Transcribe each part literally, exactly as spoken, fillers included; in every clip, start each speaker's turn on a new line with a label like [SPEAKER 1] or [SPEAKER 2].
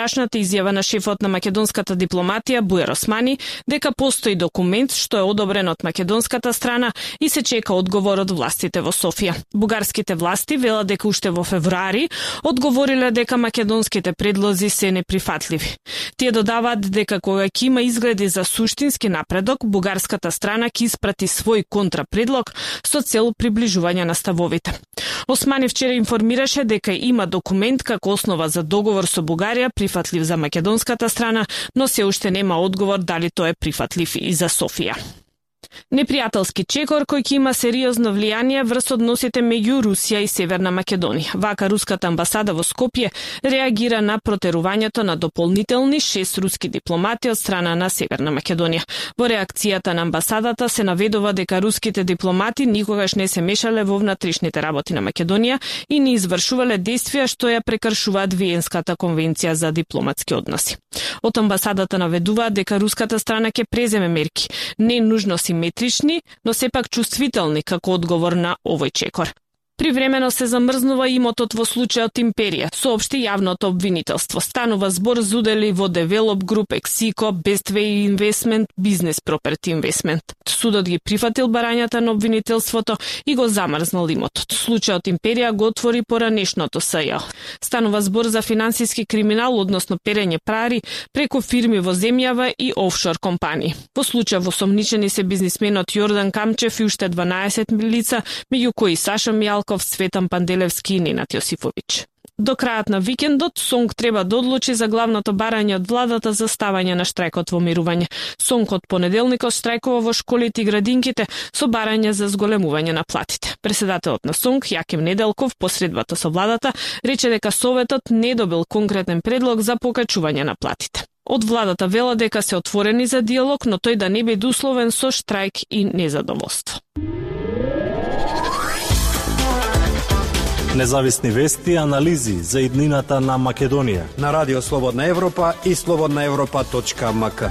[SPEAKER 1] Вчерашната изјава на шефот на македонската дипломатија Буер Османи дека постои документ што е одобрен од македонската страна и се чека одговор од властите во Софија. Бугарските власти велат дека уште во февруари одговориле дека македонските предлози се неприфатливи. Тие додаваат дека кога ќе има изгледи за суштински напредок, бугарската страна ќе испрати свој контрапредлог со цел приближување на ставовите. Османи вчера информираше дека има документ како основа за договор со Бугарија прифатлив за македонската страна, но се уште нема одговор дали тој е прифатлив и за Софија. Непријателски чекор кој ќе има сериозно влијание врз односите меѓу Русија и Северна Македонија. Вака руската амбасада во Скопје реагира на протерувањето на дополнителни шест руски дипломати од страна на Северна Македонија. Во реакцијата на амбасадата се наведува дека руските дипломати никогаш не се мешале во внатрешните работи на Македонија и не извршувале действија што ја прекршуваат Виенската конвенција за дипломатски односи. Од амбасадата наведуваат дека руската страна ќе преземе мерки, не нужно симетрични, но сепак чувствителни како одговор на овој чекор. Привремено се замрзнува имотот во случајот Империја, соопшти јавното обвинителство. Станува збор за удели во Develop Group, Ексико, Bestway Investment, Business Property Investment. Судот ги прифатил барањата на обвинителството и го замрзнал имотот. Случајот Империја го отвори поранешното СЈ. Станува збор за финансиски криминал, односно перење пари преку фирми во земјава и офшор компании. Во случај во осомничени се бизнисменот Јордан Камчев и уште дванаесет лица, меѓу кои Саша Мјалков, Цветан Панделевски и Ненад Јосифовиќ. До крајот на викендот, СОНК треба да одлучи за главното барање од владата за ставање на штрајкот во мирување. СОНК од понеделникот штрајкува во школите и градинките со барање за зголемување на платите. Председателот на СОНК, Јаким Неделков, по средбата со владата, рече дека Советот не добил конкретен предлог за покачување на платите. Од владата вела дека се отворени за диалог, но тој да не биде условен со штрајк и незадоволство.
[SPEAKER 2] Независни вести и анализи за иднината на Македонија
[SPEAKER 3] на Радио Слободна Европа и слободна европа точка ем ка.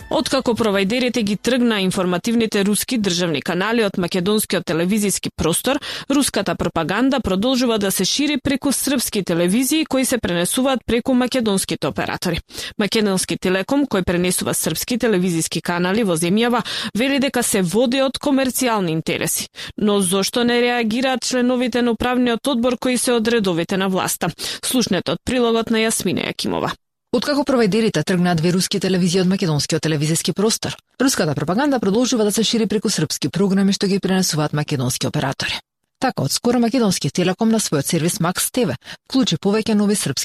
[SPEAKER 1] Откако провајдерите ги тргна информативните руски државни канали од македонскиот телевизиски простор, руската пропаганда продолжува да се шири преку српски телевизии кои се пренесуваат преку македонските оператори. Македонски Телеком, кој пренесува српски телевизиски канали во земјава, вели дека се води од комерцијални интереси. Но зошто не реагираат членовите на управниот одбор кои се од редовите на власта? Слушнете од прилогот на Јасмина Јакимова.
[SPEAKER 4] Откако провајдерите тргнаат две руски телевизии од македонскиот телевизиски простор, руската пропаганда продолжува да се шири преку српски програми што ги пренесуваат македонски оператори. Така, од скоро македонски Телеком на својот сервис Макс ТВ вклучи повеќе нови српски